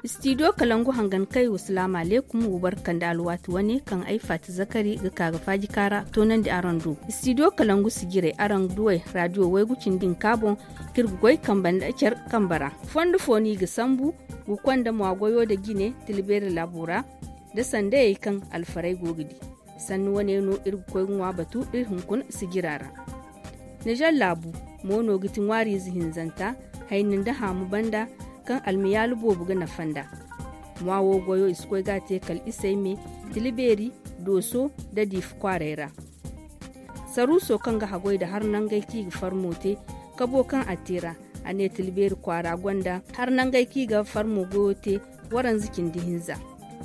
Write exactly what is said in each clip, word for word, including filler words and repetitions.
Istidiyo kalangu hangan kay wasalaamu aleekum, wa barka nda alwaati wane kaŋ ay faati zakari ga ka ga faaji kaara toonandi araŋ do. Istidiyo kalangu sijirey araŋ ga duw'ey raadiyo waygu cindi hinka boŋ, kaŋ iri ga goy kambe nda care kambe ra. Fondo fo no i ga sambu ga konda mwa goyo nda jine, tila beeri laabo ra, nda sandayey kaŋ alfarey go ga di. Sanni wane no iri ga koy ga ŋwa batu iri hunkuna sijira ra. Nizer laabu mo no ga ti ŋwaariize hinzanta, hayni nda haamu banda, kaŋ almiyaalu boobo ga nafa nd'a. Mwa wo goyo i si koy ga a te kala isey me, tila beeri, dooso, nda diifa kwaarey ra. Saruuso kaŋ ga haggoy nda har nangey kaŋ i ga farmo te, kabo kaŋ a te ra, a ne tila beeri kwaara gonda har nangey kaŋ i ga farmo goyo te, waranza cindi hinza.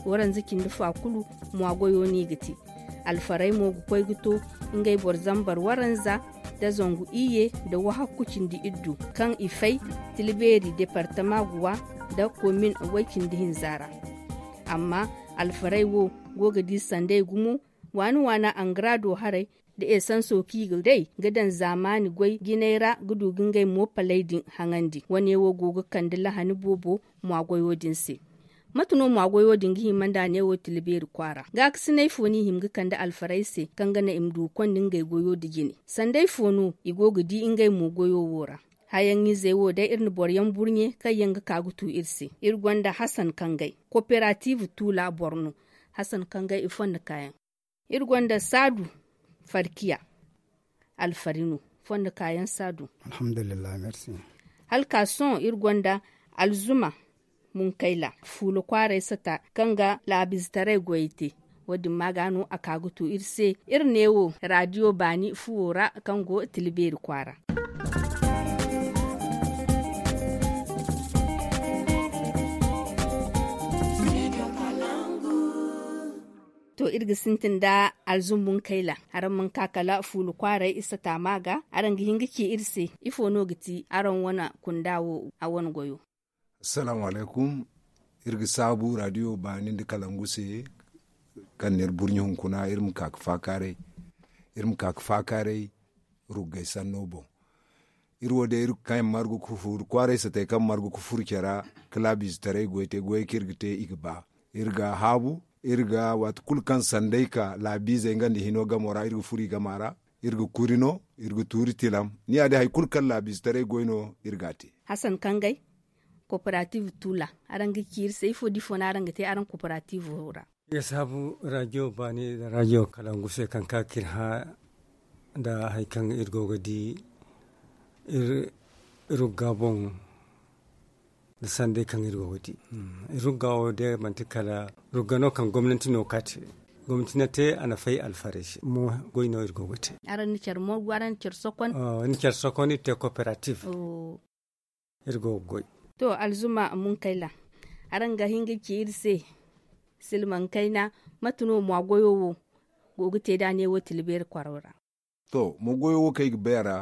Waranza cindi fa kulu, mwa goyo no i ga te. Alfarey mo ga koy ga to ngey boro zambar waranza, nda zangu iyye, nda wahakku cindi iddu, kaŋ i fay, tila beeri deepartama guwa, nda komin way cindi hinza ra. Amma alfarey wo go ga di sanday gumo, waani-waana angara do haray, nda esanso kaŋ i ga day ga daŋ zaamaani goy jinay ra ga du ga ngey mo paley din haŋandi. Wane wo go ga kande lahani boobo mwa goyo din se. Mate no mwa goyo din ga hima nda ne wo tila beeri kwaara? Gaakasinay fo no i hima ga kande alfarey se kaŋ ga naŋ i ma du ga konda ngey goyo nda jine? Sanday fo no i go ga di ngey mo goyo wo ra? Hayaŋ-izey wo day iri na boro yaŋ burɲe kaŋ yaŋ ga ka ga tu iri se. Iri gonda Hasan Kangay, koperatiiv tuula boro no. Hasan Kangay, i fondo kaayaŋ. Iri gonda Saadu Farkiya, alfari no, fondo kaayaŋ Saadu. Alhamdulillahi, merci. Hala ka sohõ iri gonda Alzuma Munkayla, fuula kwaaray sata, kaŋ ga laabiizetaray goyey te. Wo-din ma ga no a ka ga tu iri se, iri neewo raadiyo baani fuwo ra, kaŋ go Tilibeeri kwaara. To, iri ga sintin nda Alzuma Munkayla, araŋ mana ka kala fuula kwaaray isa taama ga, araŋ ga hin ga ci iri se, ifo no ga ti araŋ wane kunda wo, a wane goyo? Assalaamu alaykum. Iri ga saabu raadiyo baani nda kalangu se, kaŋ n'iri burɲi hunkuna, iri ma ka ga faakaaray, iri ma ka ga faakaaray ruggay sanno boŋ. Iri wo day, iri kaŋ yaŋ margu ga furu kwaaray satay, kaŋ margu ga furu care ra, ga laabiizetaray goy te, goyey kaŋ iri ga te, i ga ba. Iri ga a haabu, iri ga, waati kulu kaŋ sanday ka laabiizey nga nda hino gamo ra, iri ga furu i gama ra, iri ga kuri no, iri ga tuuri tilam. Ni ya day, hari kulu kaŋ laabiizetaray goy no, iri ga a te. Hasan Kangay, koperatiiv Tuula, araŋ ga ci iri se, ifo da ifo no araŋ ga te araŋ koperatiivo ra? Iri ga saabu raadiyo baani nda raadiyo kalangu se, kaŋ ka ga iri hã nda hari kaŋ iri go ga di iri, iri rugga boŋ, nda sanday kaŋ iri go ga di. Hmm. Iri rugga wo day, manti kala rugga no kaŋ gomnanti no ka te. Gomnanti na te, a na fay alfarey se. Mo goy no iri go ga te. Araŋ na care morgu, araŋ na care sokon? Oh, iri na care sokon, iri te koperatiiv. Oh. Iri go ga goy. To, Alzuma Munkayla, araŋ ga hin ga ci iri se, silmaŋ kayna, mate no mo goyo wo go ga te da ne wo Tilibeeri kwaro ra? To, mo goyo wo kaŋ ay ga bay a ra,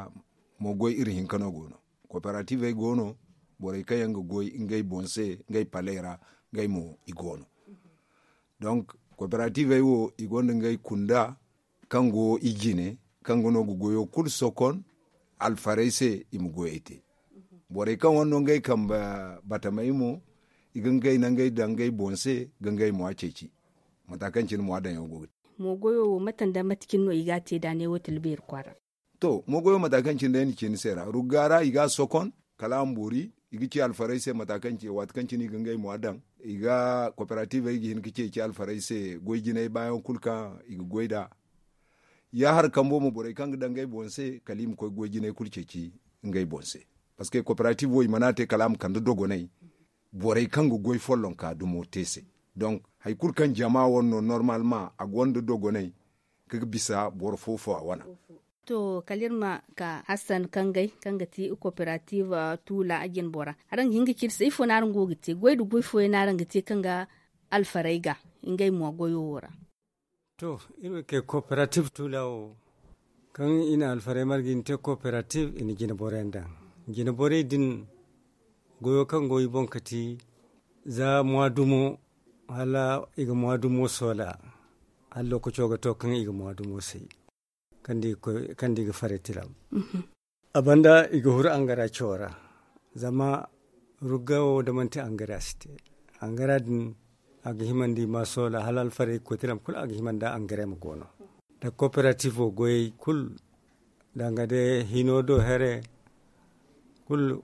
mo goy iri hinka no go no. Koperatiivey go no, borey kaŋ yaŋ ga goy ngey boŋ se, ngey paley ra, ngey mo i go no. Donc, koperatiivey wo, i gonda ngey kunda, kaŋ go i jine, kaŋ ga no ga goyo kulu sokon, alfarey se i ma goyey te. Borey kaŋ wane no ngey kambe batamey mo, i ga ngey nangey daŋ ngey boŋ se, ga ngey mo a ceeci. Mata kaŋ cine mo a daŋyaŋo go ga te. Mo goyo wo, mate nda mate cine no i ga a te da ne wo Tilibeeri kwaara? To, mo goyo mata kaŋ cine day ni ci ni se ra. Rugga ra i ga a sokon, kala a ma boori, i ga ci alfarey se mata kaŋ cine, waati kaŋ cine i ga ngey mo a daŋ. I ga koperatiivey ga hin ga ceeci alfarey se, goy jinay baayaŋo kulu kaŋ i ga goy nd'a. Ya hari kambo mo, borey kaŋ ga daŋ ngey boŋ se, kala i ma koy goy jinay kulu ceeci ngey boŋ se. Parce que koperatiiv wo, i mana a te kala a ma kande dogonay, borey kaŋ ga goy follonka dumo te se. Donc, hari kulu kaŋ jama wane no, normalement, a gonda dogonay, ka ga bisa boro fo-fo a wane. To, kala iri ma ka Hassan Kangay, kaŋ ga ti koperatiiv, ah, Tuula jinbora. Araŋ ga hin ga ci iri se, ifo no araŋ go ga te? Goy nda goy fooyaŋ no araŋ ga te kaŋ ga alfarey ga, ngey mo goyo wo ra? To, iri wo kay koperatiiv Tuula wo, kaŋ i na alfarey marga i na te koperatiiv, i na jinborey daŋ. Jinborey din, goyo kaŋ go i boŋ ka ti, za mwa dumo, hala i ga mwa dumo soola, hala lookaco ga to kaŋ i ga mwa dumo say, kaŋ da i ga koy, kaŋ da i ga faray tilam. Mhm. A banda i ga huru angara cawo ra, zama rugga wo da manti angara si te. Angara din a ga himandi ma soola hala alfarey ga koy tilam kulu a ga himanda angara ma go no. Da koperatiifo goyey kulu danga day hino do here kulu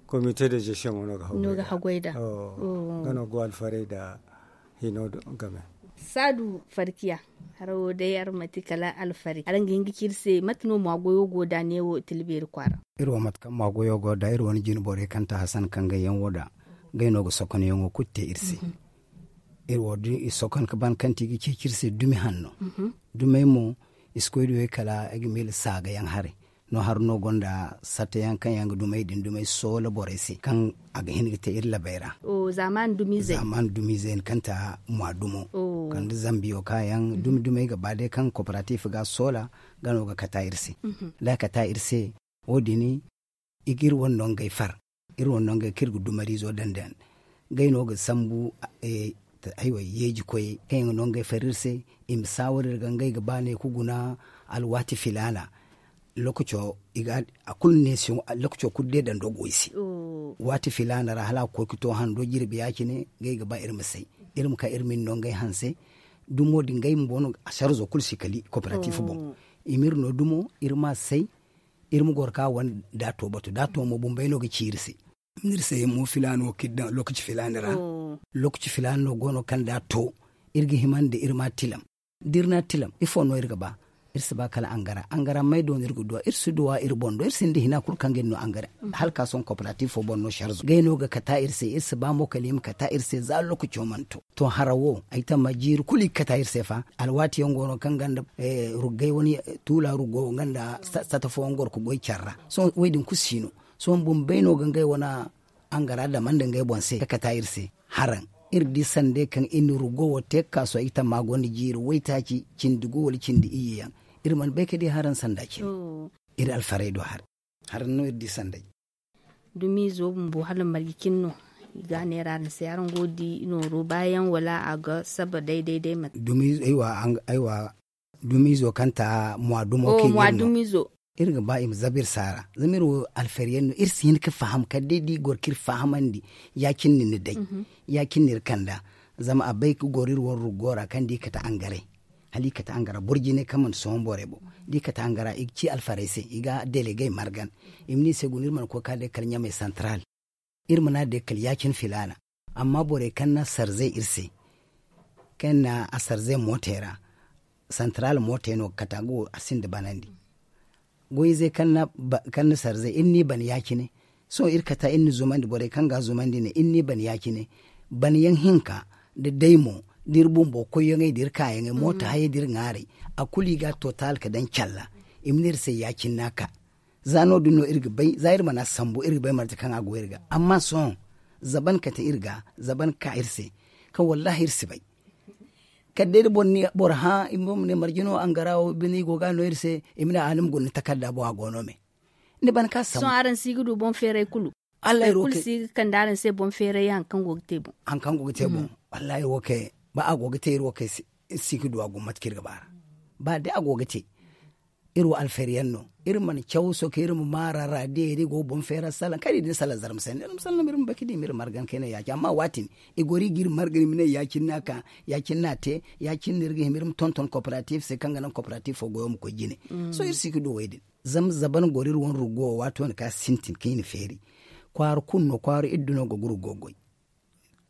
komite de zesiyoŋo no ga hagoy da. Nga no go alfarey da hino game. Saadu farkiya, haro wo day araŋ manti kala alfarey araŋ ga hin ga ci iri se mate no maagoyo go da neewo tilbeeri kwaara? Iri wo mate kaŋ maagoyo go da iri wane jine borey kaŋ ta hasan kaŋ gay yaŋ wo da gay no ga sokonyaŋo kulu te iri se. Iri wo da i sokon ga ban kaŋ ti ga ceeci iri se dumi hanno. Dumey mo i si koy duwey kala ay ga miila saaga yaŋ haray. No har no gonda satta yaŋ kaŋ yaŋ ga dumey din dumey soola borey se kaŋ a ga hin ga te iri labey ra. Zaaman dumiizey no kaŋ ta mwa dumo kala da zambiyo ka yaŋ dumi dumey ga ba day kaŋ koperatiif ga soola ga no ga kata iri se. Da a kata iri se wo- din i ga iri wane no ngey far iri wane no ngey kaŋ iri ga dumariizo daŋ daŋ ngey no ga sambu. Yeeji koyey kaŋ yaŋ ga no ngey far iri se i ma saawar iri ga ngey ga ba ne ga guna alwaati filaana. Lookaco i ga a kulu neesiyaŋo lookaco kulu day daŋ dogo i se. Waati filaana ra hala a ga koy ga to hando jirbi ya- cine ngey ga ba iri ma say iri ma ka iri ma ni no ngey hanse. Dumo din ngey bumbo no sarzo kulu si kali koperatiif boŋ. I ma iri no dumo iri ma a say iri ma goro ka wane da a to batu da a to mo bumbey no ga ci iri se. Iri se mo filaano kaŋ iri daŋ lookaci filaani ra. Lookaci filaani no go no kaŋ da a to iri ga hima nda iri ma tilam da iri na tilam ifo no iri ga ba? Iri si ba kala angara angara may do no iri ga duwa iri si duwa iri boŋ do iri sinda hina kulu kaŋ ga iri no angara. Hala ka sohõ koperatiifo boŋ no sarzo ngey no ga kata iri se iri si ba mo kala i ma kata iri se za lookaco mana to. To hara wo ay tamma jiiri kulu i ga kata iri se fa alwaati yaŋ go no kaŋ ganda ruggay wane tuula ruggo nga nda sata fooyaŋ goro ga goy care ra. Sohõ wo- din kulu si no sohõ bumbey no ga ngey wane angara dama nda ngey boŋ se ga kata iri se. Haraŋ iri di sanday kaŋ iri na ruggo wo te ga kaasu ay tamma gonda jiiri waytaaci cindi gu wala cindi iyye yaŋ. Iri mana bay ga di haraŋ sanda cine. Iri alfarey do haray haraŋ no iri di sanday. Dumiizo bumbo hala marje cine no i ga a neera araŋ se araŋ go ga di nooro baayaŋ wala a ga saba day day day mate? Dumiizo kaŋ ta mwa dumo kaŋ i ga iri ga ba i ma zabu iri saara zama iri wo alfariyaŋ no iri si hin ga faham kala day da i goro ga iri fahamandi. Ya- cine no ni day ya- cine no iri kand'a. Zama a bay ga goro iri wane ruggo ra kaŋ da i kate angaray hala i kate angara boro jine kaŋ mana sohõ borey boŋ da i kate angara i ga ci alfarey se i ga delegey margan. I ma ne i se guna iri mana koy ga ka day kala ɲamey santaral iri mana day kala ya- cine filaana. Amma borey kaŋ na sarzey iri se kaŋ na a sarzey mootey ra santaral mootey no ga kate a go a sinda banandi. Goy-izey kaŋ na sarzey iri n'i ban ya- cine. Sohõ iri kata iri na zumandi borey kaŋ ga a zumandi ne iri n'i ban ya- cine. Ban yaŋ hinka nda day mo da iri bumbo koyyaŋey da iri kaayaŋey mooto hayey da iri ŋaaray a kulu i ga a total ga daŋ calla. I ma ne iri se ya- cine no a ka. Za no- din no iri ga bay za iri mana sambu iri ga bay marje kaŋ a go iri ga amma sohõ zaban kate iri ga zaban ga ka iri se kaŋ wallahi iri si bay. Kala day da boro hã i ma ne marje no angara wo bine i go ga a no iri se. I ma ne a hala ni ma guna ni takarda boŋ a go no me. Ni ban ka sambu sohõ araŋ si ga du boŋ feeray kulu. Allahi wo kay si ga kande araŋ se boŋ feeray haŋ kaŋ go ga te boŋ. Haŋ kaŋ go ga te boŋ. Wallahi wo kay ba a go ga te iri wo kay si ga du a guna mate kaŋ iri ga ba ra. Ba day a go ga te iri wo alfariyaŋ no. Iri mana caw soke iri ma maara ra diyey da i go ga boŋ feera salaŋ kala i din salaŋ zarma se ni iri ma salaŋ iri ma baki di ma iri margan kayna ya- cine amma waati din i goro i ga iri margan i ma ne ya- cine no a ka ya- cine no a te ya- cine no iri ga hima iri ma tonton koperatiif se kaŋ ga naŋ koperatiifo goyo ma koy jine. Sohõ iri si ga du wo- din. Zama zaban goro iri wane ruggo wo waati wane kaŋ a sintin kaŋ i na feeri kwaara kulu no kwaara iddu no go ga ruggo goy.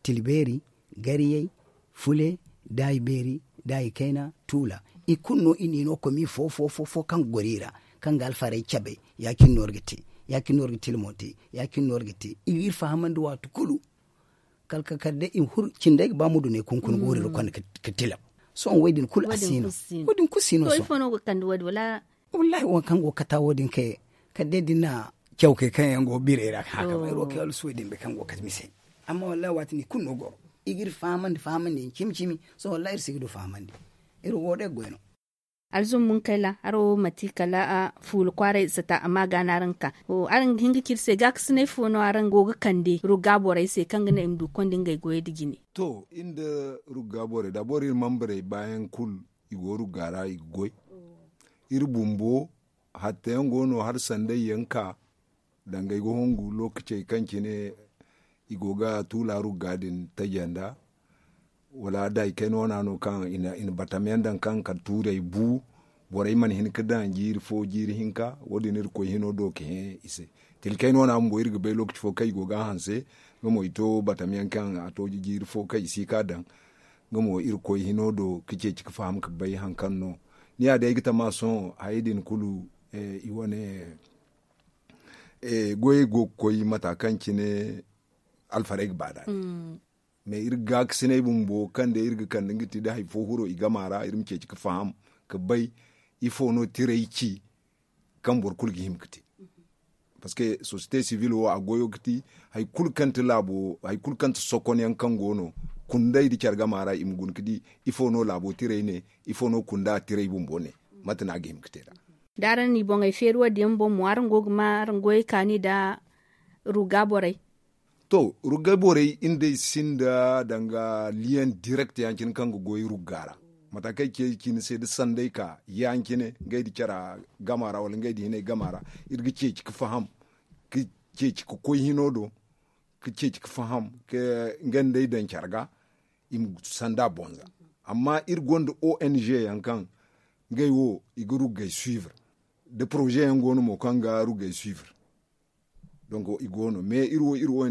Tilbeeri, gariyey, fule, daayi beeri, daayi kayna, tuula. I kulu no i n'i no komi fo fo fo kaŋ ga goro i ra kaŋ ga alfarey cabe. Ya- cine no iri ga te ya- cine no iri ga tilmo te. Ya- cine no iri ga te i ga iri fahamandi waati kulu. Kala ka kala day i ma huru cindey ga ba ma dunay kunkuna ga wuriri konda ga tilam. Sohõ wo- din kulu a si no. Wo- din kulu si no sohõ. Wallahi wo- kaŋ go ga kata wo- din kay kala day da ni na cawkey kaŋ yaŋ go ga birey ra ga hã ga bay iri wo kay wala si wo- din bay kaŋ go ga kate mise. Amma wallahi waati no i kulu no goro i ga iri fahamandi fahamandi yaŋ cimi cimi. Sohõ wallahi iri si ga du fahamandi. Iri wo day ga goy no. Alzum munkayla haro mate kala fuula kwaaray sata amma ga no araŋ ga ka. Araŋ ga hin ga ci iri se gaakasinay fo no araŋ go ga kande rugga borey se kaŋ ga naŋ i ma du konda ngey goyey nda jine? To iri nda rugga borey da boro iri manbarey baayaŋ kulu i go rugga ra i ga goy. Iri bumbo hattayaŋ go no hala sanday yaŋ ka danga ay ga hongu lookacey kaŋ cine I go ga tuula rugga din taji nda wala da i kayna wana no kaŋ i na batam yaŋ daŋ kaŋ kala tuurey bu. Borey mana hin ga daŋ jiiri fo jiiri hinka wo- din iri ga koy hino do ga hẽ i se. Tila kayna wana bumbo iri ga bay lookaci fo kaŋ i go ga a hanse. Nga mo i to batam yaŋ kaŋ a to jiiri fo kaŋ i si ga a daŋ. Nga mo iri ga koy hino do ga ceeci ga faham ga bay hari kaŋ no. Ni ya day ay ga tama sohõ hayey din kulu i wane goyey go ga koy mata kaŋ cine alfarey ga ba nd'a. Mais iri ga gaakasinay bumbo kaŋ day iri ga kande nga ti da hari fo huro i gama ra iri ma ceeci ga faham ga bay ifo no tirey ci kaŋ boro kulu ga hima ga te. Parce que société civile wo a goyo ga ti hari kulu kaŋ ti laabo hari kulu kaŋ ti sokon yaŋ kaŋ go no kunday nda care gama ra i ma guna ga di ifo no laabo tirey ne, ifo no kunda tirey bumbo ne, mate no a ga hima ga te nd'a. Da araŋ n'i boŋey feeri wo- din yaŋ boŋ mo araŋ go ga ma araŋ goyey kaani nda rugga borey? To, rugga borey iri nd'ey sinda danga liyaŋ direct ya- cine kaŋ ga goy rugga ra. Mata kaŋ ay ce cine se da sanday ka ya- cine ngey nda cara gama ra wala ngey nda hinay gama ra, iri ga ceeci ga faham ga ceeci ga koy hino do ga ceeci ga faham nga nda ay daŋ care ga i ma sanda bonza. Amma iri gonda ong yaŋ kaŋ ngey wo i ga ruggey suivre da projet yaŋ go no mo kaŋ ga ruggey suivre. Donc i go no mais iri wo iri wo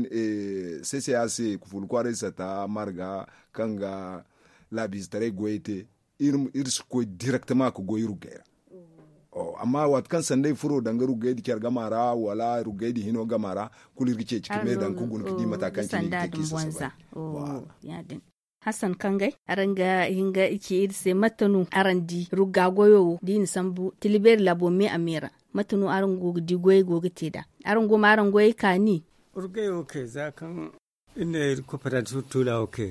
ccac kufuulu kwaaray sata marga kaŋ ga laabiizetaray goyey te. Iri si koy directement ga goy ruggey ra. Amma waati kaŋ sanday furo danga ruggey nda care gama ra wala ruggey nda hino gama ra, kulu iri ga ceeci ga me daŋ ga guna ga di mata kaŋ cine i ga te k'i sasabu. Hassan kangay araŋ ga hin ga i ci iri se mate no araŋ di rugga goyo wo da i na sambu tila beeri laabo me a me ra? Mate no araŋ go ga di goyey go ga te nd'a? Araŋ go ma araŋ goyey kaani? Ruggey wo kay za kaŋ iri ne iri coopérative tuula wo kay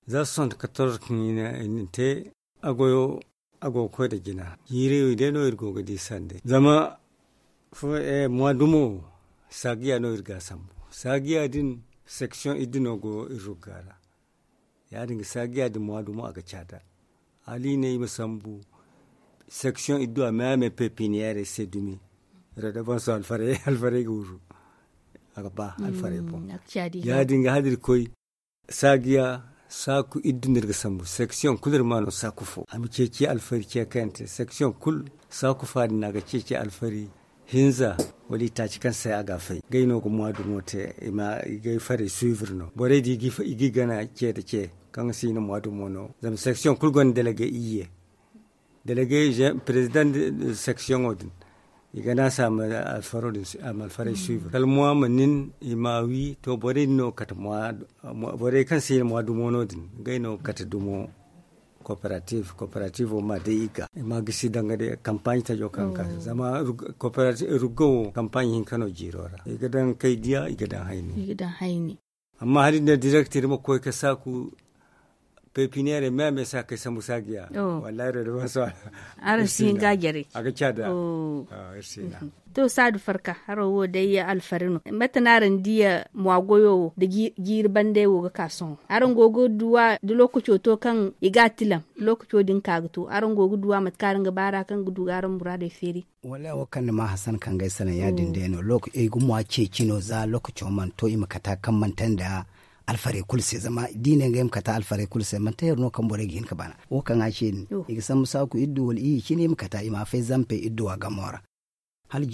za soixante-quatorze kaŋ i na te a goyo a go ga koy nda jina jiiri wo day no iri go ga di sande zama mois dumo saagiya no iri ga a sambu. Saagiya din section iddu no go iri rugga ra. Ya- din ga saagiya din mois dumo a ga caada hala i ne i ma sambu section iddu a me a me pepiniyerey se dumi. Redevance alfarey ga wuru a ga ba alfarey boŋ. Ya- din ga hala iri koy saagiya saaku iddu no iri ga sambu section kulu iri ma no saaku fo a ma ceeci alfari ce kayante section kulu saaku fa din no a ga ceeci alfari hinza wala i taaci kaŋ se a ga a fay ngey no ga mois dumo te i ga ay farey suivre no borey din i ga i gana ce nda ce kaŋ si hin mois dumo no zama section kulu gonda délégué iyye. Délégué président de section din i ga ne a se a ma alfarey suivre kala mois ma nin i ma a wi to borey din no ga kate mois borey kaŋ si hin mois dumo no- din ngey no ga kate dumo coopérative coopérative wo ma day i ga i ma gisi danga day campagne tajo kaŋ ga ka zama rugga wo campagne hinka no jiiro ra i ga daŋ kay diya i ga daŋ hayni. Amma hala i ne direct iri ma koy ga saaku pepiniyerey me a me se a kay sambu saagiya. Wallahi iri da bansa araŋ si hin ga a jare a ga caada. To saadu farka haro wo day alfari no mate no araŋ diya mois goyo wo nda jiiri bandey wo ga ka sohõ araŋ go ga duw'a da lookaco to kaŋ i ga a tilam lookaco din ka ga to araŋ go ga duw'a mate kaŋ araŋ ga baar'a kaŋ ga du ga araŋ muraadey feeri? Wallahi wo kaŋ ni ma hasan kaŋ ga ay salaŋ ya- din day no ay ga mwa ceeci no za lookaco mana to i ma kata kaŋ mana te nda alfarey kulu se zama da i ne ngey ma kata alfarey kulu se manti heero no kaŋ borey ga hin ga bana wo kaŋ a ce din i ga sambu saaku iddu wala iyye cine i ma kata i ma a fay zampey idduwa gamo ra. Hala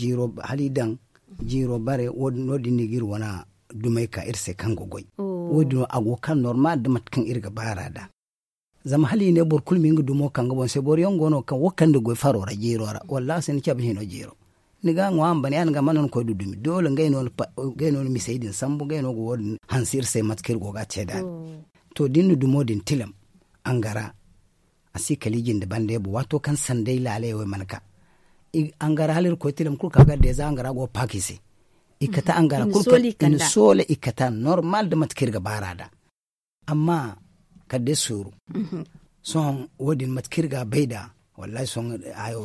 i daŋ jiiro bare no- din no i ga iri wane dumey ka iri se kaŋ ga goy wo- din no a go ga ka normal da mate kaŋ iri ga baar'a nd'a. Zama hala i ne boro kulu ma nga dumo kaŋ ga boŋ se boro yaŋ go no kaŋ wo kaŋ nda goy faro ra jiiro ra wallaahi si ni cabe hino jiiro. Ni ga a ŋwa a ma ban ya- din ga mana ni koy du dumi doole ngey no ni misey din sambu ngey no ga wo- din hanse iri se mate kaŋ iri go ga a te nd'a din. To da iri na dumo din tilam angara a si kala i jinde bande bo waato kaŋ sanday laaley wo mana ka angara hala iri koy tilam kulu ka ga deeza angara go ga paaka i se. I ga kate angara kulu i na soola i ga kate normal da mate kaŋ iri ga baar'a nd'a. Amma kala day sooru sohõ wo- din mate kaŋ iri ga a bay nd'a wallaahi sohõ hayo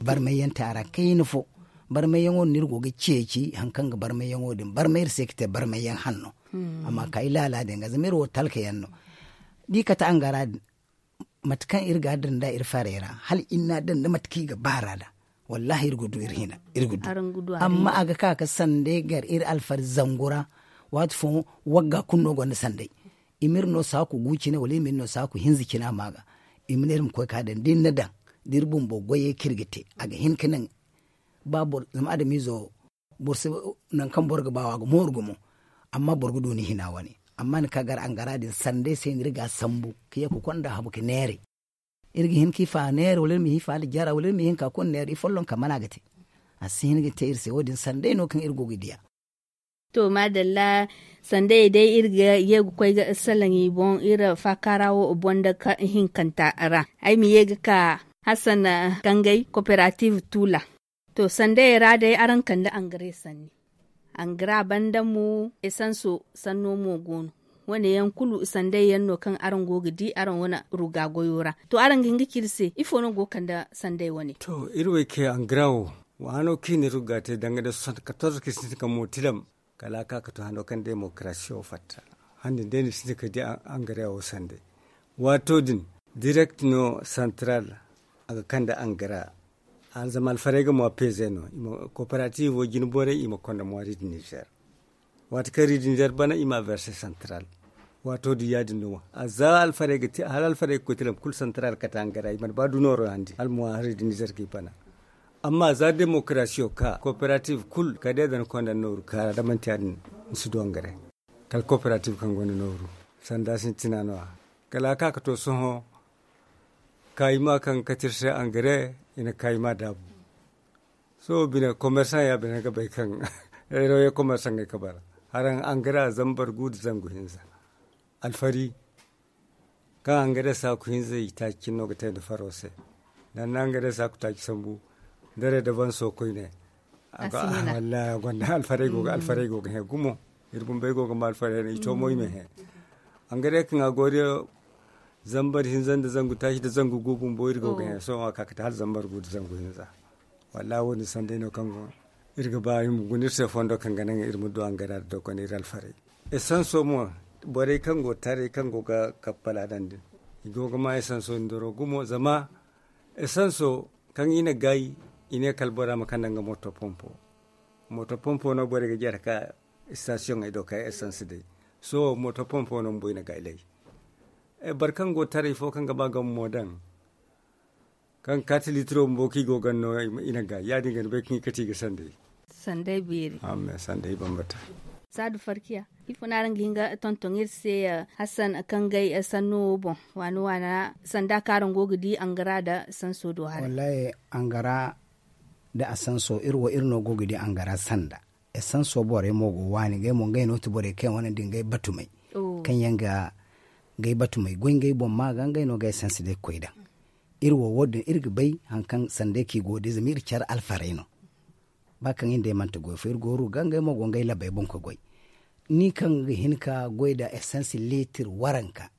barmayyaŋ te a ra kayna fo. Barmayyaŋo din no iri go ga ceeci hari kaŋ ga barmayyaŋo din barmay iri se ga te barmayyaŋ hanno. Amma ka ay laala din ga zama iri wo talka yaŋ no da i kate angara din mate kaŋ iri ga a daŋ nd'a iri farey ra hala iri n'a daŋ da mate kaŋ i ga baar'a nd'a. Wallaahi iri ga du iri hina iri ga du. Amma a ga ka ga sanday gar iri alfari zangu ra Waati fooyaŋ wagga kulu no gonda sanday. I ma iri no saaku gu cine wala i ma iri no saaku hinza cine a ma ga. I ma ne iri ma koy ka daŋ da iri na daŋ da iri bumbo goyey kaŋ iri ga te a ga hin ka naŋ ba boro zama adamiizo boro si nangu kaŋ boro ga ba wo a ga mooru gumo. Amma boro ga du ni hina wane amma ni ka gar angara din sanday se no iri ga a sambu ka ye ka konda habu ka neeray. Iri ga hin ka i fa neera wala iri ma hin ka kulu neera i folloŋ ka mana ga te. A si hin ga te iri se wo- din sanday no kaŋ iri go ga diya. To maadalla. Sanday day iri ga ye ga koy ga salaŋ i boŋ iri faakaara wo boŋ da hinkanta ra ay ma ye ga ka hasan kangay kooperative tuula. To sanday ra day araŋ kande angare sanni angara banda mo esanso sanno mo go no. Wane yaŋ kulu sanday yaŋ no kaŋ araŋ go ga di araŋ wane ruga goyo ra. To araŋ ga hin ga ci iri se ifo no go ga kande sanday wane? To iri wo ay kay angara wo, waano kaŋ i na iri ga te danga day soixante-quatorze kaŋ i sintin ka mootilam. Kala a ka ga to hando kaŋ demokarasiyo fatta. Hande day no i sintin ka di angara wo sanday. Waato din direct no santaral a ga kande angara. Zama alfarey ga maa peeze no. Kooperatiivo jine borey i ma konda maa ridi nizer. Waati kaŋ ridi nizer bana i ma a verse santaral. Waato din ya- din no. Za alfarey ga te hala alfarey ga koy tilam kulu santaral kate angara i mana ba du nooro handi hala maa ridi nizer ga i bana. Amma za demokarasiyo ka kooperatiiv kulu kala day da ni konda nooru kaara da manti ya- din ni si du angare. Kala kooperatiiv kaŋ gonda nooru sanda sintina no- ya. Kala a ka ga to sohõ kaayima kaŋ ga kate iri se angare i na kaayima daabu. Sohõ bine komersaŋ ya bine ga bay kaŋ reeroye komersaŋey ga bara haraŋ angare zambar gu nda zangu hinza. Alfari kaŋ angare saaku hinza i taaci cine no ga te nda faro se. Da ni na angare saaku taaci sambu da reedabanso koyne. Wallahi a gonda alfarey go ga hẽ gumo. Iri bumbey go ga ma alfarey no i to mo i ma hẽ. Angare kaŋ a go day zambar hinza nda zangu taaci nda zangu gu bumbo iri go ga hẽ sohõ a ka ga te hala zambar gu nda zangu hinza. Wallahi wo- din sanday no kaŋ go iri ga ba iri ma guna iri se fondo kaŋ ga naŋ iri ma du angara nda dogonay iri alfarey. Esanso mo borey kaŋ go taray kaŋ go ga kappala daŋ din i go ga ma esanso ndoro gumo zama esanso kaŋ i na gaay i ne kala bora ma kande nga mooto pompo. Mooto pompo no borey ga jare ka estasiyoŋey do ka esans day. Sohõ mooto pompo no bumbo i na gaay lay. Boro kaŋ go taray fo kaŋ ga ba game mo daŋ kaŋ kaati liitiro bumbo kaŋ i go ganda no i na gaay ya- din ga ni bay kaŋ i kate i ga sanday. Sanday beeri. Sanday bambata. Saadu farkiya ifo no araŋ ga hin ga tonton iri se? Hassan kaŋ gay sanno wo boŋ waana waana sanda kaŋ araŋ go ga di angara nda sanso do haray. Wallahi, angara nda a sanso iri wo iri no go ga di angara sanda. Esanso borey mo go waani ngey mo ngey no ti borey kaŋ yaŋ wane nda ngey batumey kaŋ yaŋ ga ngey batumey goy ngey boŋ ma ga ngey no ga esansi day ga koy daŋ. Iri wo wo- din iri ga bay hari kaŋ sanday kaŋ i go ga di zama iri care alfarey no. Ba kaŋ iri nd'ey manti goy fo iri go ga ruga ngey mo go ngey labey boŋ ga goy. Ni kaŋ ga hin ka goy nda esansi liitir waranka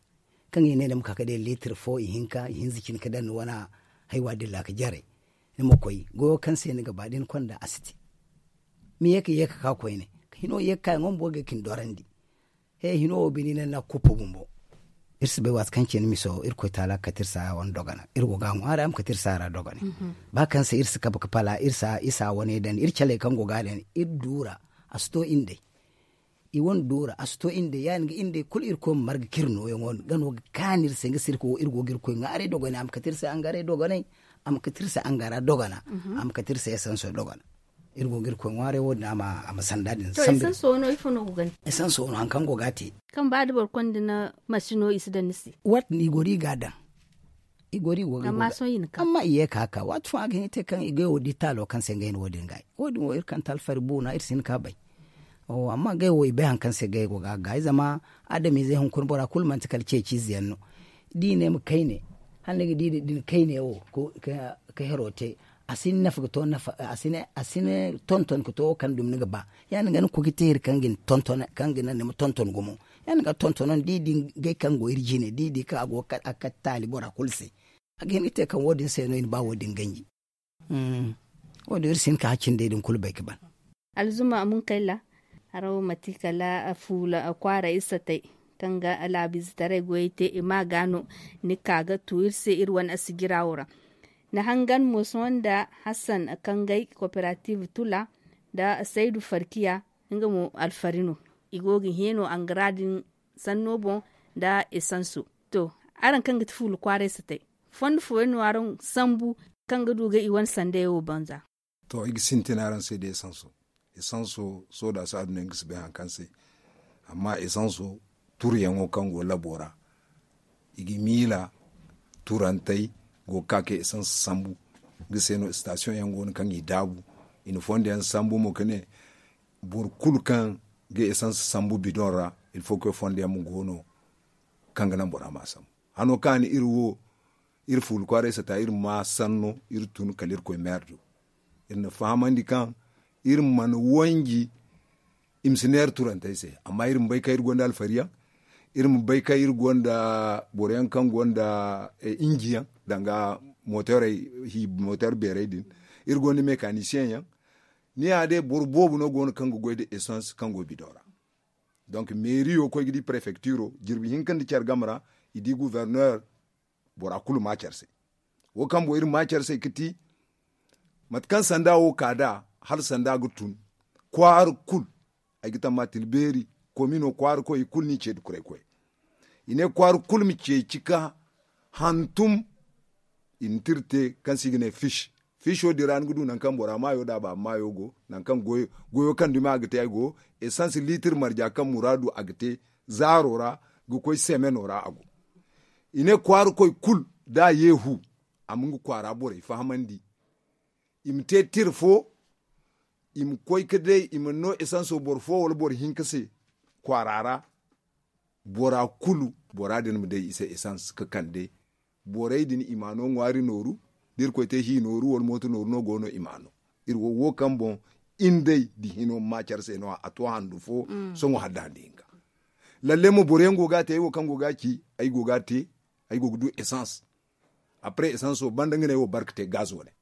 kaŋ i ne ni ma ka ga day liitir fo ihinka ihinza cine ga daŋ ni wane haywa dilla ga jare. Ni ma koy goyo kaŋ se ni ga ba da ni konda a si te. Ma ye ka ye ka ka koyne hino ye ka ka yaŋo ma boro ga ka ni dorandi. He hino wo bine i ne ni na kuppu bumbo. Iri si bay waati kaŋ ce ni miso irkoy taala ga kate iri saaya wane dogana iri go ga a ŋwaari a ma kate iri saaya ra doganay. Ba kaŋ se iri si kabe ga pala iri saaya wane daŋ iri caley kaŋ go ga a daŋ iri duura. A si to iri nd'ey i wane duura a si to iri nd'ey ya- din ga iri nd'ey kulu irkoy ma marga kaŋ iri nooyaŋo ga no ga kaanu iri se nga se iri go ga irkoy ŋwaaray dogonay a ma kate iri se angaray dogonay. A ma kate iri se angara dogana. A ma kate iri se esanso dogana. Iri go ga irkoy ŋwaaray wo- din a ma sanda din sambu. Esanso no hari kaŋ go ga a te. Kaŋ ba da boro konda ni masino i si daŋ ni se. Waati no i go da i ga a daŋ. I go da i go ga i go ga amma i ye ka ka waati fooyaŋ a ga hin ga te kaŋ i ga yawo di taalo kaŋ se ngey no wo- din ga ay wo- din wo iri kante alfari buuna iri si hin ka bay. Amma ngey wo i bay hari kaŋ se ngey go ga a gaay zama adamizey hunkuna bora kulu manti kala ceeci ize yaŋ no. Da i ne ma kayne hala ni ga di din kayne wo ka hero te. A si ni nafa ga to nafa a si ni tonton ka to wo kaŋ dumi ni ga ba ya- din ga ni koy ga te hari kaŋ ga ni tonton kaŋ ga naŋ ni ma tonton gumo. Ya- din ga tontono ni di din gay kaŋ go iri jine da i di kaŋ a go ga kate taali bora kulu se. A ga hin ga te kaŋ wo- din se no i na ba wo- din ganji. Wo- din iri si hin ka haccin day din kulu bay ga ban. Alzuma munkayla haro mate kala fuula kwaara iri satay kaŋ ga laabu izetaray goyey te i ma ga no ni ka ga tu iri se iri wane asijira wo ra. Ni hangan mo sohõ nda hassan kaŋ gay kooperative tula nda saydu farkiya. Nga mo alfari no. I go ga hẽ no angara din sanno boŋ nda esanso. To, araŋ kaŋ ga ti fuula kwaaray satay, fondo fooyaŋ no araŋ sambu kaŋ ga du ga i wane sanday wo banza? To, i ga sintin araŋ se da esanso. Esanso, sohõ da si aduna yaŋ ga si bay hari kaŋ se. Amma esanso, turuyaŋo kaŋ go labo ra, i ga miila turantey go ga ka ka esans sambu. Nga se no sitasiyoŋ yaŋ go no kaŋ i daabu. I na fondo yaŋ sambu mo ka ne, boro kulu kaŋ ga esans sambu bidoŋ ra, ilfo koy fondo yaŋ ma go no kaŋ ga naŋ bora ma a sambu. Hano kaŋ a ne iri wo, iri fuula kwaaray sata, iri ma sanno, iri tun kala irkoy meer do. Iri na fahamandi kaŋ iri mana wanji, i ma si neera turantey se. Amma iri ma bay kaŋ iri gonda alfari yaŋ, iri ma bay kaŋ iri gonda boro yaŋ kaŋ gonda inji yaŋ, danga moteer beerey din. Iri gonda mekanisiyeŋ yaŋ. Ni ya day boro boobo no go no kaŋ ga goy nda esans kaŋ go bidoŋ ra. Donk meeriyo koy ga di prefektiro jirbi hinka nda care game ra, i di guverner. Bora kulu ma care se. Wo kaŋ boŋ iri ma care se ga ti, mate kaŋ sanda wo ka nd'a, hala sanda ga tun, kwaara kulu, ay ga tamma tilbeeri, komino kwaara koy i kulu n'i ce nda kuray koy. I ne kwaara kulu ma ceeci ka hantum. I na tira te kaŋ se i ga ne fish. Fish wo din ra ni ga du nangu kaŋ bora maayo nda a baaba maayo go, nangu kaŋ goyo kaŋ dumi a ga te ay go. Esans liitir marja kaŋ muraadu a ga te zaaro ra ga koy semeno ra a go. I ne kwaara koy kulu da a ye hu, a ma nga kwaara borey fahamandi. I ma te tira fo, i ma koy ka day i mana no esanso boro fo wala boro hinka se kwaara ra. Bora kulu, bora din ma day i se esans ka kande. Borey din i ma no ŋwaari nooru, da irkoy te hi nooru wala mooto nooru no go no i ma no. Iri wo wo kaŋ boŋ, iri day da hino ma care se no- ya a to handu fo. Sohõ hala da handu hinka. Lalle mo boro yaŋ go ga a te ay wo kaŋ go ga a ci, ay go ga a te. Ay go ga du esans. Apre esanso banda nga ne ay wo barka te gaz wane.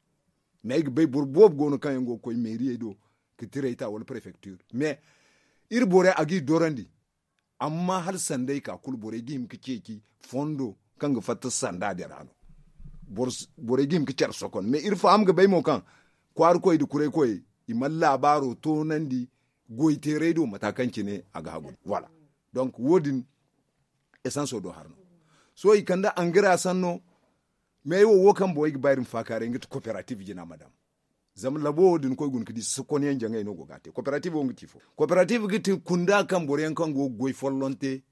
Mais ay ga bay boro boobo go no kaŋ yaŋ go ga koy meeriyey do, ka tiray ta wala prefektir. Mais iri borey a g'i dorandi. Amma hala sanday ka kulu borey ga hima ga ceeci fondo kaŋ ga fatta sanda din ra no. Borey ga hima ga care sokon mais iri faham ga bay mo kaŋ kwaara koy nda kuray koy, i mana laabaaro toonandi goy teeray do mata kaŋ cine a ga hagu. Donk wo- din esanso do har no. Sohõ i kande angara sanno. Mais ay wo wo kaŋ boŋ ay ga ba iri ma faakaaray nga ti kooperatif jina madam. Zama labo wo da ni koy guna ga di sokon yaŋ jaŋay no go ga a te kooperatif wo nga ti fo. Kooperatif ga ti kunda kaŋ boro yaŋ kaŋ go ga goy folloŋ te,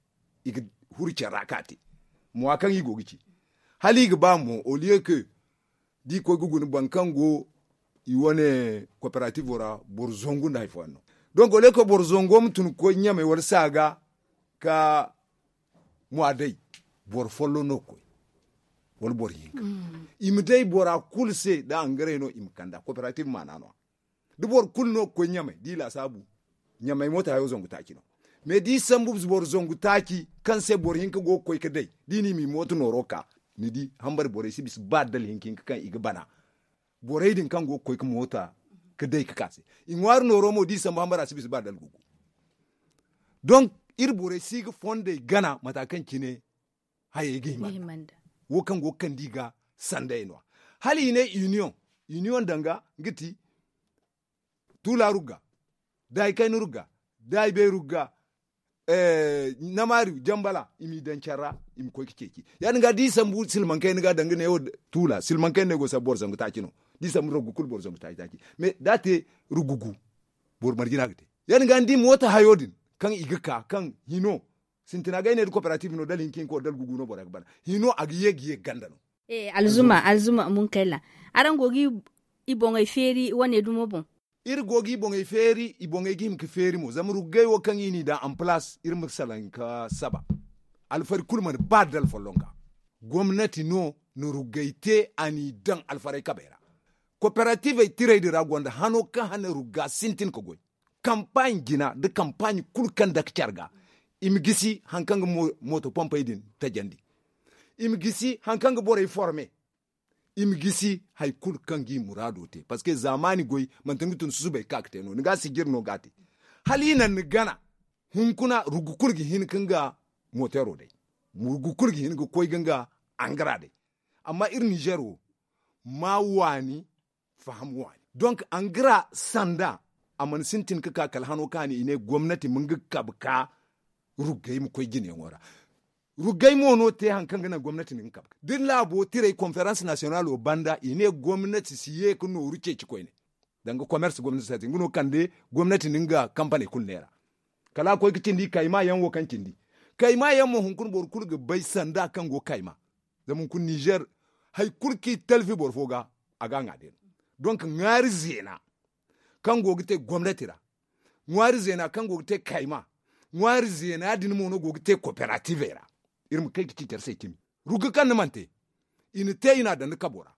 i ga huru care ra ka a te. Mwa kaŋ i go ga ci hala i ga ba mo oliye ke da i koy ga guna boro kaŋ go i wane kooperatif ra boro zangu nda hari fooyaŋ no. Donk oliye ke boro zangu ma tun ga koy ɲamay wala saaga ka mwa day, boro folloŋ no ga koy wala boro hinka. I ma day bora kulu se da angaray no i ma kand'a kooperatif maana no- ya. Da boro kulu no ga koy ɲamay da i laasaabu ɲamay mooto hayo zangu taaci no. Mais da i sambu boro zangu taaci kaŋ se boro hinka go ga koy ga day da i na i ma i mooto nooro ka, ni di hambari borey si bisa ba dala hinka hinka kaŋ i ga bana. Borey din kaŋ go ga koy ga moota ga day ga ka se, i ŋwaari nooro mo da i sambu hambara si bisa ba dala gugu. Donk iri borey si ga fondey gana mata kaŋ cine hayey ga hima nda wo kaŋ go ga kande i ga sandey no- ya. Hala i ne union, union danga ga ti tuula rugga, da hari kayna rugga, da hari beeri rugga, namaari jambala i m'i daŋ care ra. I ma koy ga ceeci ya- din ga da i sambu silmaŋ kayna ga danga neewo tuula silmaŋ kayna no ay go ga sambu boro zangu taaci no. Da i sambu ruggu kulu boro zangu taaci taaci. Mais da a te ruggu gu, boro marje no a ga te. Ya- din ga ni di moota hayo din kaŋ i ga ka kaŋ hino sintina ga ay ne da kooperatif no dala hinka hinka wo dala gugu no bora ga bana. Hino a ga ye ga ye ganda no. Alzuma alzuma munkayla, araŋ go ga i boŋey feeri wane dumo boŋ? Iri go ga i boŋey feeri i boŋey ga hima ga feeri mo zama ruggay wo kaŋ i n'i daŋ en palaas iri ma salaŋ ga saba. Alfari kulu mana ba dala folloŋ ga gomnati no na ruggay te a n'i daŋ alfaray kabey ra. Kooperatifey tirey din ra gonda hano kaŋ hane rugga sintin ga goy. Kampaaɲi jina nda kampaaɲi kulu kaŋ dake care ga i ma gisi hari kaŋ ga mooto pompey din tajandi. I ma gisi hari kaŋ ga borey forme. I ma gisi hari kulu kaŋ ga i muraado te parceque zaamaani goy manti ni ga tun susubay ga ka ga te no ni ga sijiri no ga a te. Hala i naŋ ni gana hunkuna ruggu kulu ga hin ga nga mooteero day. Ruggu kulu ga hin ga koy ga nga angara day. Amma iri nizer wo ma waani faham waani. Donk angara sanda A mana sintin ga ka kala hano kaani i ne gomnati ma nga kabe ka ruggay ma koy jinayaŋo ra. Ruggay mo no te hari kaŋ ga naŋ gomnati na nga kabe ka da ni laabo tiray konferans nasiyonalo banda i ne gomnati si ye ga nooru ceeci koyne. Danga komers gomnati si a te nga no kande gomnati na nga kampaney kulu neera. Kala a koy ga cindi kayma yaŋ wo kaŋ cindi kayma yaŋ mo hunkuna boro kulu ga bay sanda kaŋ go kayma. Zama hunkuna nizer hari kulu kaŋ i talfi boro fo ga a ga a ŋwa day no. Donk ŋwaari zeena kaŋ go ga te gomnati ra ŋwaari zeena kaŋ go ga te kayma ŋwaari zeena din mo no go ga te kooperativey ra. Iri ma kay ga ci care se cimi rugga kaŋ ni mana te i na te i na a daŋ ni kabo ra.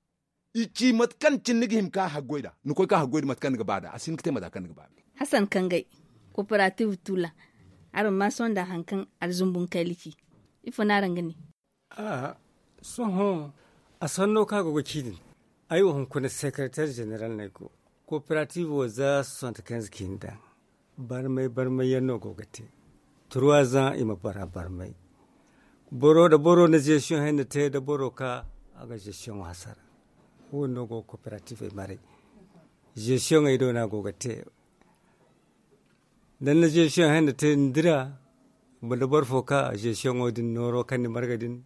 I ci mate kaŋ cine ni ga hima ka haggoy nd'a ni koy ka haggoy nda mate kaŋ ni ga ba nd'a a si hin ga te mate kaŋ ni ga ba nd'a. Hasan kangay kooperative tuula araŋ ma sohõ nda hari kaŋ alzumbu ni kay lici. Ifo no araŋ ga ne? Sohõ a sanno kaŋ a go ga ci din. Ay wo hunkuna sekereter zeneral no ay go. Kooperative wo za soixante quinze ka i na daŋ. Barmay barmay yaŋ no go ga te. Trois ans i ma bara barmay. Boro nda boro na zesiyoŋ henne te nda boro ka a ga zesiyoŋo hasara. Wo- din no go ga kooperative maray. Zesiyoŋey do no a go ga te. Da ni na zesiyoŋ henne te ni dira. Nda boro fo ka zesiyoŋo din nooro kaŋ ni marga din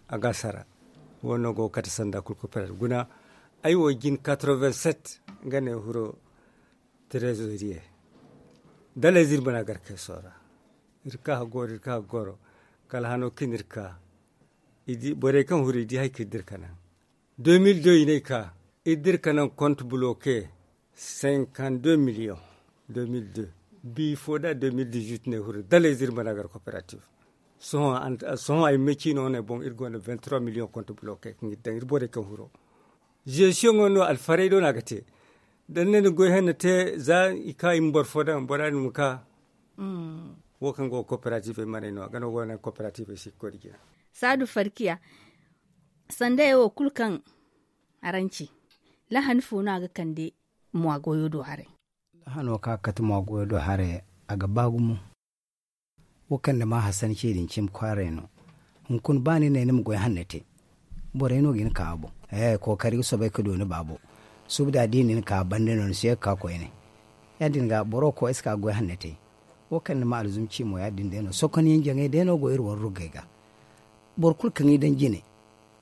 a ga a sara. Wo- din no go ga kate sanda kulu kooperative guna. Ay wo jin quatre-vingt-sept nga ne huro trezoriye. Dalayze iri mana gar kay soora. Iri ka haggooro iri ka haggooro kala hano kaŋ iri ka borey kaŋ huru i di hari kaŋ iri dira ka naŋ. Deux mille deux i ne ay ka iri dira ka naŋ konte buloke cinquante deux million. Deux mille deux. Bifo nda deux mille dix-huit no ay huru dalayze iri mana gar kooperative. Sohõ ay ma ciino no ay boŋ iri gonda vingt trois million konte buloke kaŋ iri daŋ iri borey kaŋ huro. Zesiyoŋo no alfarey do no a ga te. Da ni ne ni goy henne te za i ka i ma boro fo daŋ bora din ma ka. Wo kaŋ go ga kooperative maray no a ga no go ga naŋ kooperative si ga koy nda jina. Saadu farkiya sandayey wo kulu kaŋ araŋ ci. Lahani fo no a ga kande mwa goyo do haray? Lahano kaŋ a ga kate mwa goyo do haray a ga ba gumo. Wo kaŋ ni ma hasan ce din cimi kwaaray no. Hunkuna ba ni ne ni ma goy hanno te. Borey no ga hin ka a boŋ. Kookari ga soobay ga du ni baabo. Suubu da a di ni na ka banda no ni si ye ga ka koyne. Ya- din ga boro koy ay si ka ga goy hanno te. Wo kaŋ ni ma alzumci mo ya- din day no sokonyaŋ jaŋay day no go iri war ruggay ga. Boro kulu kaŋ i daŋ jine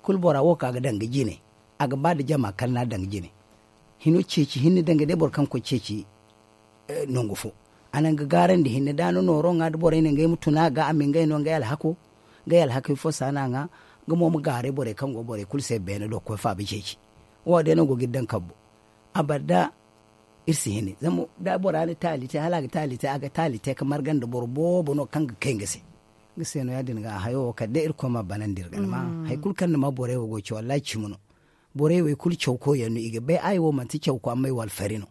kulu bora wo kaŋ a ga daŋ ga jine. A ga ba nda jama kala no a daŋ ga jine. Hino ceeci hinne daŋ ga day boro kaŋ ga koy ceeci. Nangu fo a naŋ ga gaarandi hinne da a na nooro ŋwa nda borey ne ngey ma tun a ga a ma ngey no ngey alhako. Ngey alhakey fo se a na ŋwa. Nga mo ma gaaray borey kaŋ go borey kulu se beene do ga koy faaba ceeci. Wo- din day no go ga iri daŋ kabbo. Abada iri si hini zama da bora na taali te hala a ga taali te a ga taali te ga marga nda boro boobo no kaŋ ga kay nga se. Nga se no ya- din ga hayo wo kala day irkoy ma a banandi iri ga ni ma hari kulu kaŋ ni ma borey wo go ga ci wallaahi cimi no. Borey wo i kulu cawko yaŋ no i ga bay ay wo manti cawko amma ay wo alfari no.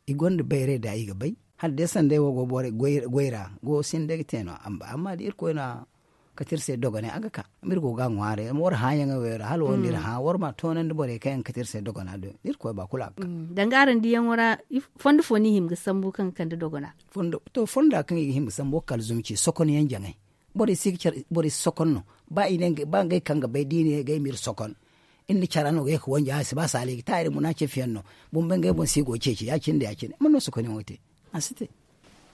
I gonda bayray da i ga bay hala day sanday wo go borey goy ra go sinda ga te no. Amma da irkoy no a kate iri se dogonay a ga ka. Amma iri go ga a ŋwaaray war hãayaŋey wo ra hala wo nda iri hã war ma a toonandi borey kaŋ yaŋ ga kate iri se dogona do. Irkoy ba kulu a ga ka. Danga araŋ diyaŋo ra fondo fo no i hima ga sambu kaŋ ga kande dogona? To fonda kaŋ i ga hima ga sambu wo kala zuma ci sokonyaŋ jaŋay. Borey si ga care borey si sokon no. Ba i ne ba ngey kaŋ ga bay da i ne ga ay ma iri sokon. Iri na cara no ga ye ga wanja a si ba saali ga ta iri muna ceefiyaŋ no. Bumbey ngey boŋ se i go ga ceeci ya- cine nda ya- cine man no sokonyaŋo te? A si te.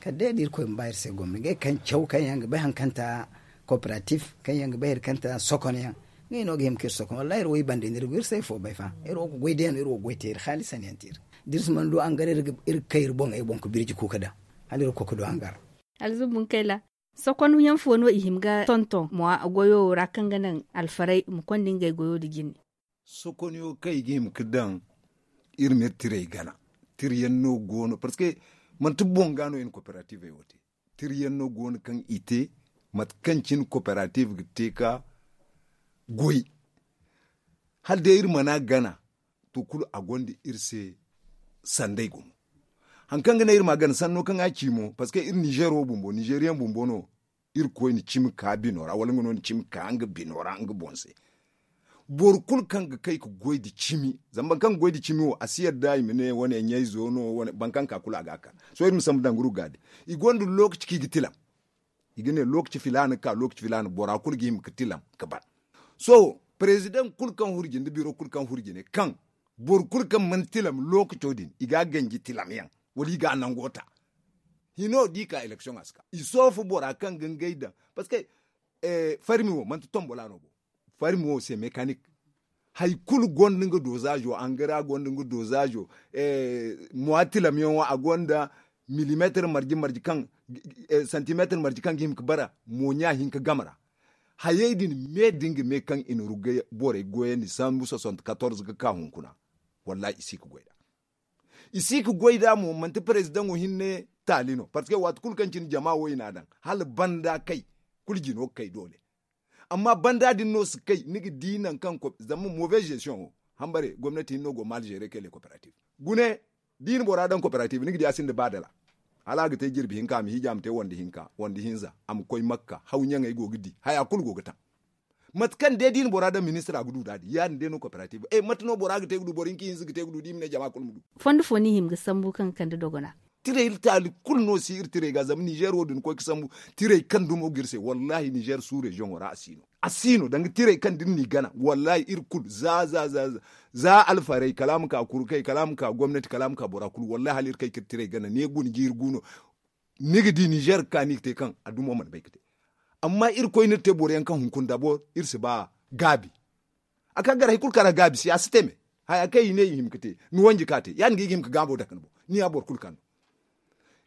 Kala day da irkoy ma ba iri se gomni ngey kaŋ caw kaŋ yaŋ ga bay hari kaŋ ta kooperatif kaŋ yaŋ ga bay hari kaŋ ta sokonyaŋ. Ngey no ga hima ka iri sokon wallaahi iri wo i bande no iri go iri si ay fo bay fa iri wo ga goy day no iri wo ga goy te iri haalisan yaŋ te iri. Da iri si mana du angare iri ga kay iri boŋey boŋ ga birji kuuka daŋ. Hala iri ga koy ga du angare. Alzumbu nkayla. Sokonyaŋ fo no i hima ga tonton mwa goyo wo ra kaŋ ga naŋ alfarey ma konda ngey goyo nda jine? Sokonyo kaŋ i ga hima ga daŋ iri ma iri tirey gana. Tiriyaŋ no go no parceque manti boŋ ga no i na kooperativey wo te. Tiriyaŋ no go no kaŋ i te mate kaŋ cine kooperative ga te ga goy. Hala day iri mana gana to kulu a gonda iri se sanday gumo. Hari kaŋ ga naŋ iri ma a gana sanno kaŋ a ci mo parceque iri nizer wo bumbo nizeriyaŋ bumbo no. Iri koy na cimi ka bino ra wala nga no na cimi ka nga bino ra nga boŋ se. Boro kulu kaŋ ga kay ga goy nda cimi zama boro kaŋ ga goy nda cimi wo a si yadda i ma ne wane ɲayzo no boro kaŋ ga ka kulu a ga a ka. Sohõ iri ma sambu danguru ga din i gonda lokaci kaŋ i ga tilam. I ga ne lokaci filaana ka lokaci filaana bora kulu ga hima ga tilam ga ban. Sohõ parezidaŋ kulu kaŋ huru jine nda biro kulu kaŋ huru jine kaŋ boro kulu kaŋ mana tilam lokaco din i ga a ganji tilamyaŋ. Wala i ga a nango ta. Hino da i ka election a si ka i soofu bora kaŋ ga ngey daŋ. Parce que farmi wo manti tombola no bo. Farmi wo se mekanik. Hari kulu gonda nga dozaazo angara gonda nga dozaazo. Muwatilam yaŋo a gonda milimeetir marje marje kaŋ santimeetir marje kaŋ ga hima ga bara. Moonya hinka game ra. Hayey din me da nga me kaŋ i na rugga borey goyandi sambu soixante quatorze ga ka hunkuna. Wallahi i si ga goy nd'a. I si ga goy nd'a mo manti perezidaŋo hinne taali no parce que waati kulu kaŋ cine jama wo i n'a daŋ hala banda kay. Kulu jino ga kay doole. Amma banda din no si kay ni ga di nangu kaŋ zama move gestion wo hambare gomnati hinne no go mal gere kay le cooperative. Gune da i na bora daŋ cooperative ni ga di a sinda ba dala. Hala a ga te jirbi hinka a ma hiiji a ma te wande hinka wande hinza a ma koy makka haw ɲaŋey go ga di haya kulu go ga taŋ. Mate kaŋ day da i na bora daŋ ministir a ga du nd'a din ya- din day no cooperative mate no bora ga te ga du boro hinka hinza ga te ga du da i ma ne jama kulu ma du. Fondo fo no i hima ga sambu kaŋ ga kande dogona. Tirey taali kulu no si iri tirey ga zama nizer wo da ni koy ga sambu tirey kaŋ dumo ga iri se wallahi nizer su reziyoŋo ra a si no. A si no danga tirey kaŋ da iri n'i gana wallahi iri kulu za za za za alfarey kala a ma ka kurkey kala a ma ka gomnati kala a ma ka bora kulu wallahi hala iri kay ga iri tirey gana ne guna jiiri gu no. Ni ga di nizer ga ka ni ga te kaŋ a dumo mana bay ga te. Amma iri koy no iri te boro yaŋ kaŋ hunkuna dabor iri si ba gaabi. A ka gar hari kulu kaŋ ra gaabi si a si te me. Haya kaŋ i ne i hima ga te ni wanji ka te ya- din ga i ga hima ga gaabo dake ni boŋ ni ya boro kulu kaŋ no.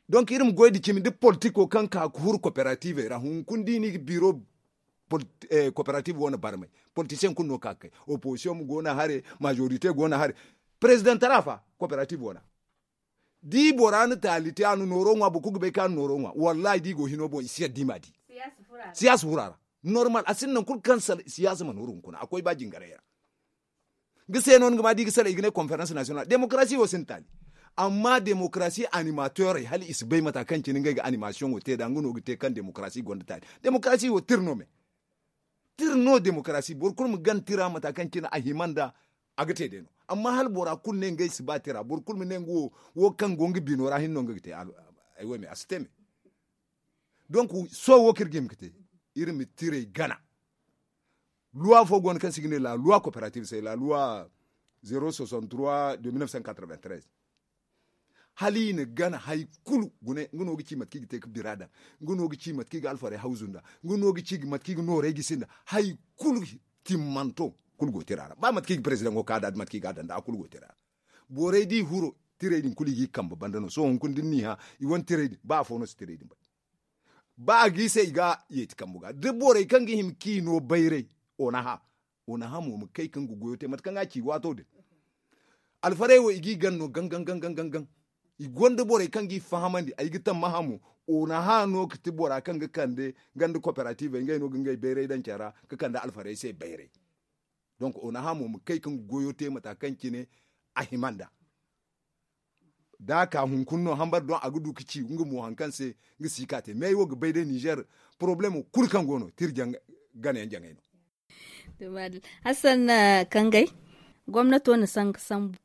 Donk iri ma goy nda cimi nda politiko kaŋ ka ga huru kooperativey ra hunkuna da i na i ga biro. Kooperative wane barmay politisiyaŋ kulu no ka ga kay opozisiyoŋ go no a hare, mazorite go no a hare. Perezidantara fa kooperative wane. Da i bora na taali te a na nooro ŋwa boro kulu ga bay kaŋ a na nooro ŋwa wallahi da i go hino boŋ i si yadda i m'a di. Siyaasa fura ra normal a sinda nangu kulu kaŋ siyaasa mana huru hunkuna a koy ba jingarey ra. Nga se no ni ga ma da i ga sala i ga ne konferans nasiyonal demokarasi wo sinda taali. Amma demokarasi animatorey hala i si bay mata kaŋ cine ngey ga animasiyoŋo te nd'a nga no ga te kaŋ demokarasi gonda taali. Demokarasi wo tira no me. Tira no demokarasi boro kulu ma gana tira mata kaŋ cine a hima nd'a. A ga te day no. Amma hala bora kulu ne ngey si ba tira boro kulu ma ne nga wo kaŋ go nga bino ra hinne no nga ga te. Ay wo me a si te me. Donk sohõ wo kaŋ iri ga hima ga te iri ma tirey gana. Luwa fo go no kaŋ se i ga ne la luwa kooperative se la luwa zero soixante trois de mille neuf cent quatre vingt treize. Hala i na gana hari kulu gune nga no ga ci mate kaŋ i ga te ga bira daŋ. Nga no ga ci mate kaŋ i ga alfarey hawzu nd'a. Nga no ga ci mate kaŋ i ga noorey gisi nd'a. Hari kulu timmanto kulu go tira ra ba mate kaŋ i ga perezidaŋo ka nd'a da mate kaŋ i ga a daŋ nd'a a kulu go tira ra. Borey da i huro tirey din kulu i g'i kambe banda no sohõ hunkuna da ni n'i hã i wane tirey din ba afo no si tirey din bay. Ba a g'i se i ga yeeti kambu ga da borey kaŋ ga hima k'i no bayray. Onaha onaha mo ma kay kaŋ ga goyo te mate kaŋ a ci waato din. Alfarey wo i g'i gan no gaŋ gaŋ gaŋ gaŋ gaŋ. I gonda borey kaŋ g'i fahamandi ay ga tammaha mo. Onaha no ga ti bora kaŋ ga kande ganda kooperativey ngey no ga ngey bayray daŋ care ra ga kande alfarey se bayray. Donk onaha mo ma kay kaŋ ga goyo te mata kaŋ cine a hima nd'a. Da a ka hunkuna no hambar doŋ a ga du ga ci nga mo hari kaŋ se nga si ka te me ay wo ga bay day nizer poroblemo kulu kaŋ go no tira gana yaŋ jaŋay no. Hassan kangay gomnato na sanga sambu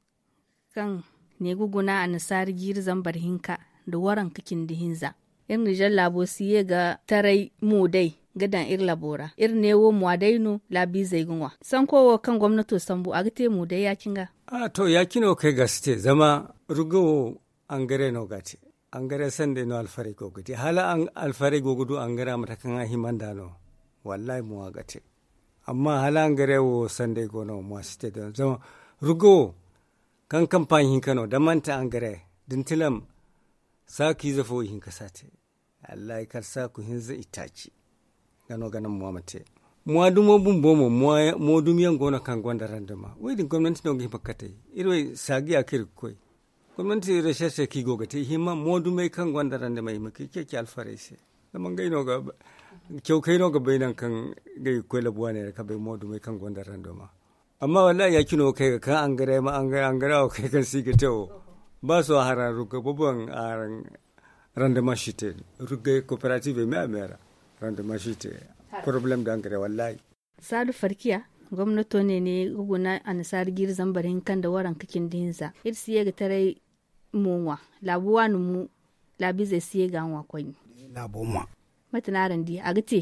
kaŋ ne ga guna annasaara jiiri zambar hinka nda waranka cindi hinza. Iri nizer laabo si ye ga taray mo day ga daŋ iri labo ra iri ne wo mwa day no laabiizey ga ŋwa sanko wo kaŋ gomnato sambu a ga te mo day ya- cine ga. A to ya- cine wo kaŋ ay ga si te zama rugga wo angare no ga a te. Angare sanday no alfarey go ga di hala alfarey go ga du angare mate kaŋ a hima nd'a no. Wallahi mo a ga te. Amma hala angare wo sanday go no mo a si te da zama rugga wo kaŋ kampaaɲi hinka no da manti angare da ni tilam saaku ize fo ihinka si a te. Allahi kala saaku hinza itaaci. Nga no ga naŋ mo a ma te. Mo a dumo bumbo mo mo dumi yaŋ go no kaŋ gonda randama wo- din gomnanti no ga hima ga katay. Iri wo saagu ya kaŋ iri ga koy gomnanti recherche kaŋ i go ga te i hima mo dumey kaŋ gonda randama i ma ka i ceeci alfarey se. Zama ngey no ga cawkey no ga bay nangu kaŋ ngey ga koy labu waaney ra ka bay mo dumey kaŋ gonda randama. Amma wallahi ya- cine wo kaŋ ay ga ka angare ma angare wo kaŋ ay kaŋ se i ga te wo. Ba sohõ haraŋ rugga boboyaŋ haraŋ randama si te. Rugga kooperative me a me ra randama si te. Poroblem da angare wallahi. Saadu farkiya gomnato ne ne ga guna annasaara jiiri zambar hinka nda waranka cindi hinza iri si ye ga taray mo ŋwa. Laabu waani mo laabiizey si ye ga a ŋwa koyne. Mate no araŋ di a ga te?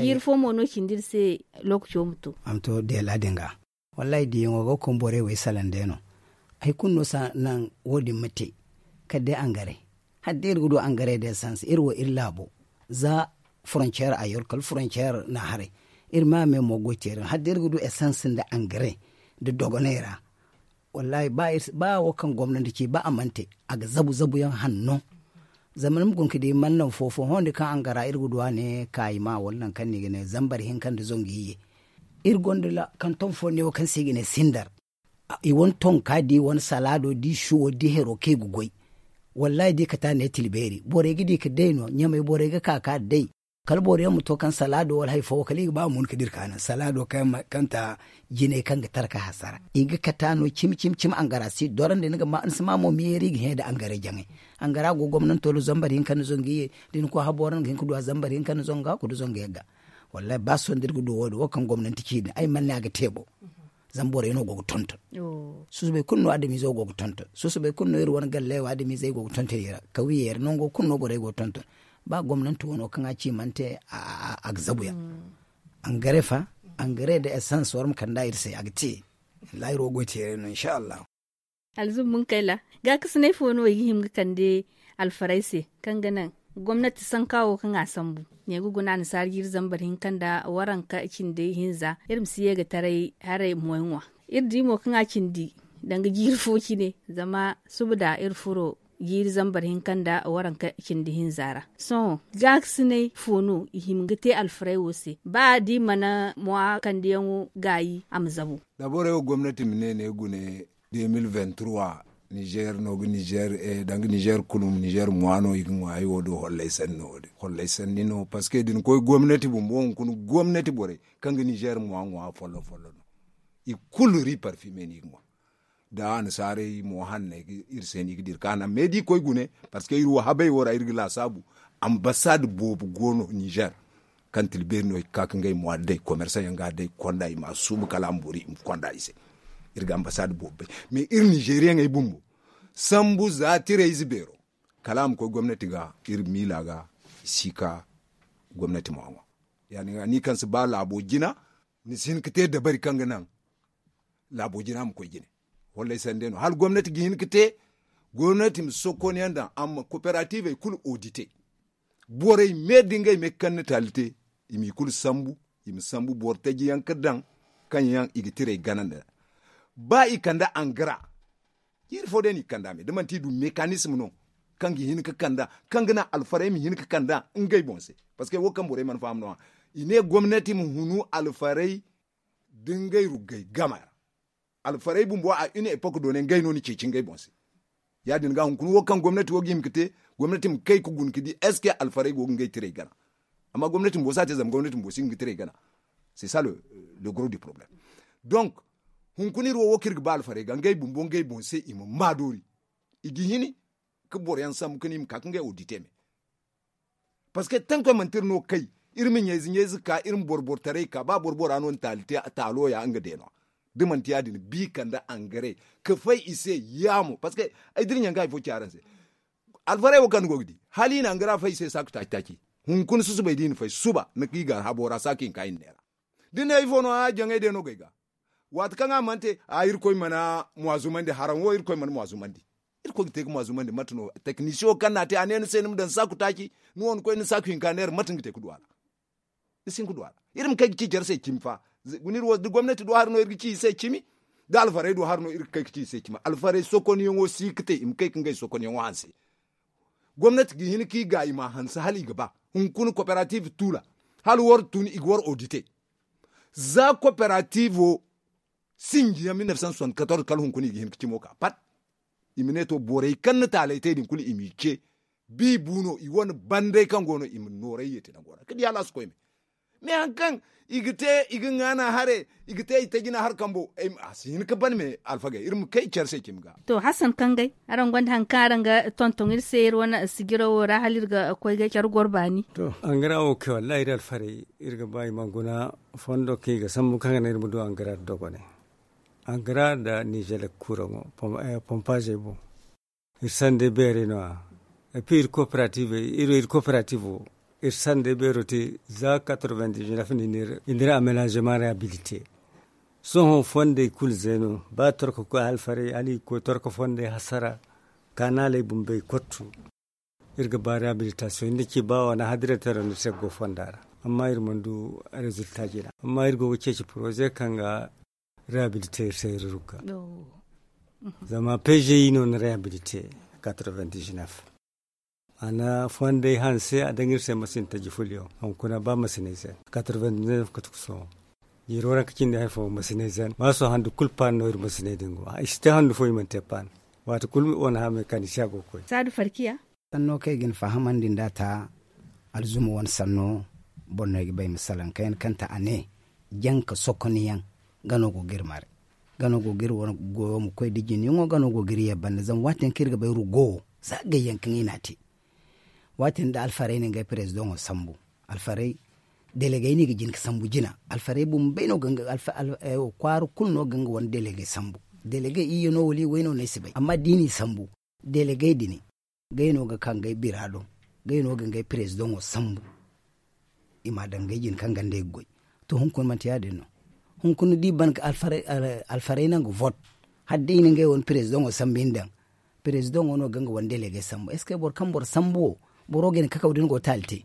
Jiiri fo mo no cindi iri se. Lookaco ma to a ma to deela din ga. Wallahi diyaŋo ga koy borey wo ay salaŋ day no. Hari kulu no si naŋ wo- din ma te. Kala day angare. Hala day iri ga du angare nda esans iri wo iri laabo. Za foronceer a yor kala foronceer na haray. Iri ma me mo goy teeri no hala day iri ga du esans nda angare nda dogonay ra. Wallahi ba wo kaŋ gomnanti ci ba a mana te a ga zabu zabu yaŋ hanno. Zama ni ma guna ga di mana naŋ fo fo hondi kaŋ angara iri ga du a ne kaayi ma wala nangu kaŋ no i ga ne zambar hinka nda zangu iyye. Iri gonda kanton fo ne wo kaŋ se i ga ne sindar. I wane tonka da i wane salaado da i suwo da i hero kaŋ i ga goy. Wallahi da i kate a ne tilbeeri borey ga di ga day no ɲamey borey ga ka ga day. Kala boro yaŋ ma to kaŋ salaado wala hari fo wo kala i ga ba a mun ga dira ka naŋ salaado kaŋ ta jinay kaŋ ga tara ka hasara i ga kate a no cimi cimi cimi angara si dorandi ni si ma mo meeri i ga hẽ nda angara jaŋay. Angara go gomnanto ra zambar hinka nda zangu iyye. Da ni koy habora ni ga hin ga du a zambar hinka nda zangu ga ku nda zangu yagga. Wallahi ba sohõ da iri ga du wo- din wo kaŋ gomnanti ci din ay mana ne a ga te bo. Zama borey no go ga tonton. Susubay kulu no adamiize wo go ga tonton susubay kulu no iri wane galley wo adamiizey go ga tonton i ra. Kawiyey ra nango kulu no borey go ga tonton. Ba gomnanti wano kaŋ a ci mana te a ga zabu yaŋ. Angare fa angare nda esans war ma kand'a iri se a ga te. Laahiro goy teeray no insa allahu. Alzumbunkayla gaakasinay fo no i ga hima ga kande alfarey se kaŋ ga naŋ gomnati sanka wo kaŋ a sambu ne ga guna annasaara jiiri zambar hinka nda waranka cindi hinza iri ma si ye ga taray haray moy ŋwa. Iri di mo kaŋ a cindi danga jiiri fo cine zama suba da iri furo jiiri zambar hinka nda waranka cindi hinza ra. Sohõ gaakasinay fo no i hima ga te alfarey wo se ba da i mana mwa kandiyaŋo gaayi a ma zabu. Da borey wo gomnati ma ne ne gune. Deux mille vingt trois nizer no ga nizer danga nizer kulu nizer mwa no i ga ŋwa ay wo do hollay sanni no wo din hollay sanni no parceque da ni koy gomnati bumbo hunkuna gomnati borey kaŋ ga nizer mwa ŋwa folloŋ folloŋ no. I kulu ri parfime no i ga ŋwa. Da annasaarey mo hanney iri se no i ga dira ka naŋ mais da i koy gune parceque iri wo habey wo ra iri ga laasaabu. Ambasad boobo go no nizer kaŋ tilbeeri no i ga ka ga ngey mwa day komersaŋ yaŋ ga a day konda i ma a suubu kala a ma boori i ma konda i se. Iri ga ambasad boobo bay mais iri nizeriyaŋey bumbo sambu za tirayze beero kala a ma koy gomnati ga iri miila ga i si ka gomnati ma ŋwa. Ya- din ga ni kaŋ si ba laabo jina ni si hin ga te dabari kaŋ ga naŋ laabo jina ma koy jine. Hollay sanda no hala gomnati ga hin ga te gomnati ma sokon yaŋ daŋ amma kooperativey kulu odite. Borey me da ngey me ga kande taali te i m'i kulu sambu i ma sambu boro taji yaŋ ga daŋ kaŋ yaŋ i ga tirey gana nda ba i kande angara. Jiiri fo day no i ga kande a me da manti i du mekanism no kaŋ ga hin ga kande a kaŋ ga naŋ alfarey ma hin ga kande a ngey boŋ se. Parceque wo kaŋ borey mana faham no- ya i ne gomnati ma hunu alfarey da ngey ruggey game ra. Alfarey bumbo a une epok doone ngey no ni ceeci ngey boŋ se. Ya- din ga hunkuna wo kaŋ gomnati wo ga hima ga te gomnati ma kay ga guna ga di est ce que alfarey go ga ngey tirey gana. Amma gomnati bumbo si a te zama gomnati bumbo si hin ga tirey gana. C'est ça le gros du problème. Donc hunkuna iri wo wo kaŋ iri ga ba alfarey ga ngey bumbo ngey boŋ se i ma maa doori i ga hini ga boro yaŋ sambu ga ne i ma ka ga ngey odite me. Parceque tankoy manti iri no kay iri ma ɲayze ɲayze ka iri ma boro boro taray ka ba boro bora no ni taali te taalo ya nga deeno. Da manti ya- din bi kande angare ka fay i se. Ya mo parceque ay da iri ɲanga hari fo ci araŋ se. Alfarey wo kaŋ ni go ga di hala i na angara fay i se saaku taaci taaci. Hunkuna susubay da i na fay suba ni ga i ga habo ra saaku hinka i na neera. Da ni ne ifo no a jaŋey day no go ay ga. Waati kaŋ a mana te a irkoy mana mwa zumandi haraŋ wo irkoy mana mwa zumandi. Irkoy ga te ga mwa zumandi mate no tekinisiyo kaŋ no a te a ne ni se ni ma daŋ saaku taaci. Ni wo ni koy ni saaku hinka neera mate ni ga te ga du a ra. Ni si hin ga du a ra. Iri ma kay ga ci care se cimi fa. Guna iri wo da gomnati du hari no iri ga ci i se cimi. Da alfarey du hari no iri ga kay ga ci i se cimi alfarey sokonyaŋo si ga te i ma kay ga ngey sokonyaŋo hanse. Gomnati ga hin ga i ga i ma a hanse hala i ga ba. Hunkuna kooperative tuula hala war tun i ga war odite. Za kooperativo sinji yaŋ mil neef san soixante quatorze kala hunkuna i ga hin ga cimo ka pat. I ma ne to borey kaŋ na taaley te din kulu i m'i ce. Bi bu no i wane banday kaŋ go no i ma nooray yeete nango ra ga di hala a si koy me. Me hari kaŋ i ga te i ga ŋaana hare i ga te i tajina hari kambo. A si hin ga ban me alfagey iri ma kay care se cimi ga. To hasan kangay araŋ gonda hari kaŋ araŋ ga tonton iri se iri wane sijiro wo ra hala iri ga koy ga care goro baani. To angara wo kay wallahi iri alfarey iri ga ba i ma guna fondo kaŋ i ga sambu kaŋ ga naŋ iri ma du angara nda dogonay. Angara nda nizelek kuraŋo pompazey boŋ. Iri sandey beerey no- ya. Epi iri kooperative iri kooperative wo iri sandey beero te za quatre-vingt-dix-neuf no i n'iri amenazema rehabilite. Sohõ fondey kulu zeeno ba torko koy alfarey hala i ga koy torko fondey hasara. Kanaaley bumbey kottu. Iri ga ba rehabilitasiyoŋ nda ci ba wane hadiray tara nda se go fonda ra. Amma iri mana du rezilta jina amma iri go ga ceeci poroze kaŋ ga rehabilite iri se iri rugga. Zama peze no na rehabilite. Quatre-vingt-dix-neuf a na fondey hanse a daŋ iri se masinta jifulyaŋ hunkuna ba masiney se. Quatre-vingt-dix-neuf katuku sohõ. Jiiro ra ka cindi hari fo masiney se ba sohõ handu kulu paani no iri masiney din go i si te handu fo i mana te paani. Waati kulu wane haamey kaani si a go ga koy. Saadu farkiya. Sanno kaŋ ay ga ni fahamandi nd'a ta alzuma wane sanno. Boro no ay ga ba ay ma salaŋ kayna kaŋ ta a ne janka sokonyaŋ gano go ga iri mare. Gano go ga iri wane goyo ma koy da jiniyaŋo gano go ga iri ye banda zama waati yaŋ kaŋ iri ga bay rugo wo za gayyaŋ kaŋ i n'a te. Waati yaŋ da alfarey na ngey perezidaŋo sambu. Alfarey delegey no i ga jin ga sambu jina. Alfarey bumbey no ga nga kwaara kulu no ga nga wane delegey sambu. Delegey iyye no wala i way no no ay si bay amma da i n'i sambu delegey din ngey no ga ka ngey bira do. Ngey no ga ngey perezidaŋo sambu. I m'a daŋ ngey jine kaŋ ganda i ga goy. To hunkuna manti ya- din no. Hunkuna da i ban ga alfarey naŋ ga vot hala day i na ngey wane perezidaŋo sambu i na daŋ. Perezidaŋo no ga nga wane delegey sambu est ce que boro kaŋ boro sambu wo boro ga hin ga kakaw da ni go taali te.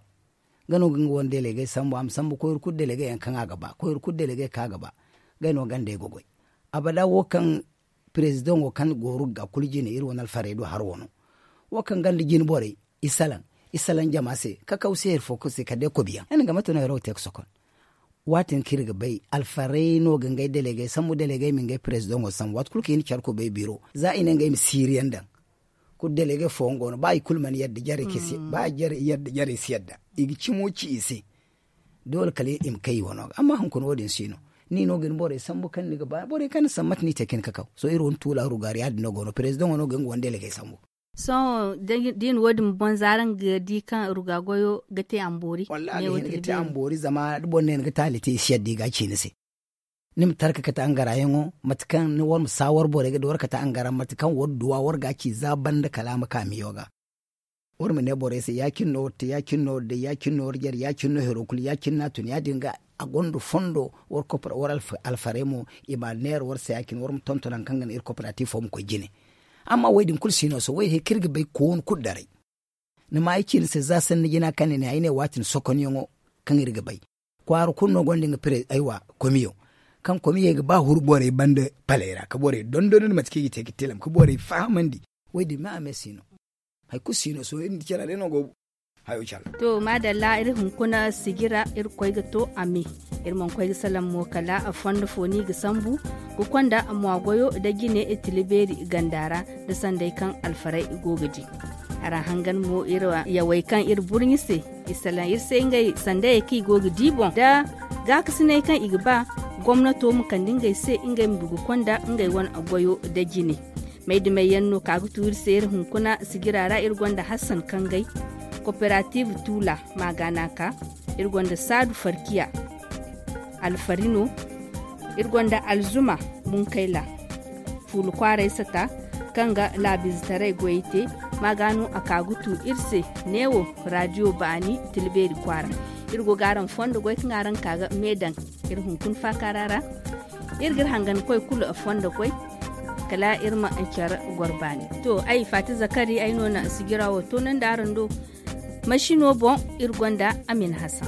Nga no ga nga wane delegey sambu a ma sambu koyra kulu delegey yaŋ kaŋ a ga ba koyra kulu delegey kaŋ a ga ba. Ngey no ganda i ga goy. Abada wo kaŋ perezidaŋo kaŋ go rugga kulu jine iri wane alfarey do haro no. Wo kaŋ ganda jine borey i salaŋ i salaŋ jama se kakaw se hari fo kulu se kala day kobiyaŋ ay na nga mate no haro ga te ga sokon. Waati yaŋ kaŋ iri ga bay alfarey no ga ngey delegey sambu delegey ma ngey perezidaŋo sambu waati kulu kaŋ i na care kubay biro za i ne ngey ma siiriyaŋ daŋ. Kulu delegey fooyaŋ go no ba i kulu mana yadda jarey si yadda i ga cimo ci i se. Doole kala i ma kay i wano ga amma hunkuna wo- din si no. Ni no ga ni borey sambu kaŋ ni ga ba borey kaŋ ni sambu mate no i te ka ni kakaw sohõ iri wane tuula rugaari ya- din no go no perezidaŋo no ga nga wane delegey sambu. Sohõ da i na wo- din boŋ za araŋ ga di kaŋ ruga goyo ga te a ma boori? Wallahi a ga hin ga te a ma boori zama da boro ne ni ga taali te i si yadda i ga a ci ni se. Ni ma tarka kate angarayaŋo mate kaŋ war ma saawar borey ga da war kate angara mate kaŋ war duwa war ga a ci za banda kala a ma ka miyo ga. War ma ne borey se ya- cine no war te ya- cine no war day ya- cine no war jare ya- cine no hero kulu ya- cine no a tun ya- din ga. A gonda fondo war alfarey mo i ma neera war se ya- cine war ma tonton hari kaŋ ga naŋ iri koperatifo ma koy jine. Amma wo- din kulu si no sohõ wo- din hari kaŋ iri ga bay koonu kulu daray. Ni ma ay ci ni se za sanni jina kaŋ ni ne ay ne waati ni sokonyaŋo kaŋ iri ga bay. Kwaara kulu no gonda nga pere aywa komiyo kaŋ komiyey ga ba huru borey banda paley ra ka borey dondon nda mate kaŋ i ga te ga tilam ka borey fahamandi. Wo- din me a me si no. Hari kulu si no sohõ iri nda care day no go hayo care. To maadalla iri hunkuna sijira iri koy ga to a me. Iri mana koy ga salaŋ mo kala fondo fo no i ga sambu ga konda mwa goyo nda jine tila beeri ganda ra nda sanday kaŋ alfarey go ga di. Araŋ hangan mo iri yawey kaŋ iri burɲi se i salaŋ iri se ngey sandayey kaŋ i go ga di boŋ nda gaakasinay kaŋ i ga ba gomnato ma kande ngey se ngey ma du ga konda ngey wane goyo nda jine. May dumey yaŋ no ka ga tu iri se iri hunkuna sijira ra iri gonda hassan kangay, koperatiiv tuula maagaana ka, iri gonda saadu farkiya, alfarino, iri gonda alzuma, munkayla, fuula kwaaray sata, kaŋ ga laabiizetaray goyey te. Maagaano a ka ga tu iri se neewo, raadiyo baani, tila beeri kwaara. Iri go ga araŋ fondo goy kaŋ araŋ ka ga me daŋ iri hunkuna faakaara ra. Iri ga iri hangan koy kulu fondo goy, kala iri ma care goro baani. To ay faati zakari ay no na sijira wo toonandi araŋ do. Masino boŋ iri gonda amin hasan.